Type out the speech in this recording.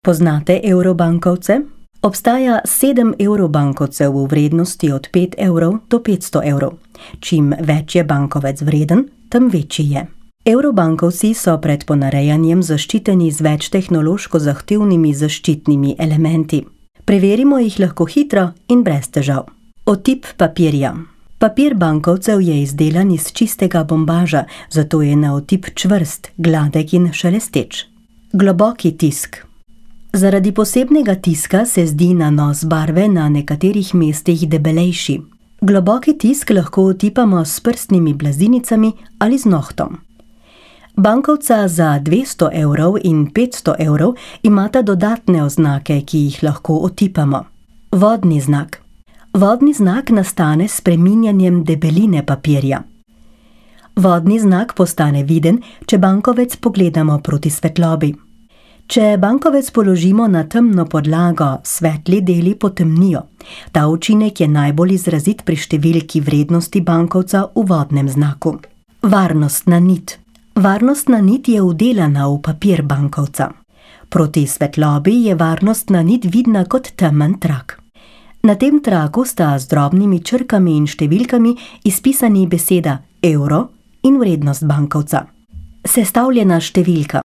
Poznate evrobankovce? Obstaja 7 evrobankovcev v vrednosti od 5 evrov do 500 evrov. Čim več je bankovec vreden, tem večji je. Evrobankovci so pred ponarejanjem zaščiteni z več tehnološko zahtevnimi zaščitnimi elementi. Preverimo jih lahko hitro in brez težav. Otip papirja. Papir bankovcev je izdelan iz čistega bombaža, zato je na otip čvrst, gladek in šelesteč. Globoki tisk. Zaradi posebnega tiska se zdi nanos barve na nekaterih mestih debelejši. Globoki tisk lahko otipamo s prstnimi blazinicami ali z nohtom. Bankovca za 200 evrov in 500 evrov imata dodatne oznake, ki jih lahko otipamo. Vodni znak. Vodni znak nastane s spreminjanjem debeline papirja. Vodni znak postane viden, če bankovec pogledamo proti svetlobi. Če bankovec položimo na temno podlago, svetli deli potemnijo. Ta učinek je najbolj izrazit pri številki vrednosti bankovca v vodnem znaku. Varnostna nit. Varnostna nit je vdelana v papir bankovca. Proti svetlobi je varnostna nit vidna kot temen trak. Na tem traku sta z drobnimi črkami in številkami izpisani beseda evro in vrednost bankovca. Sestavljena številka.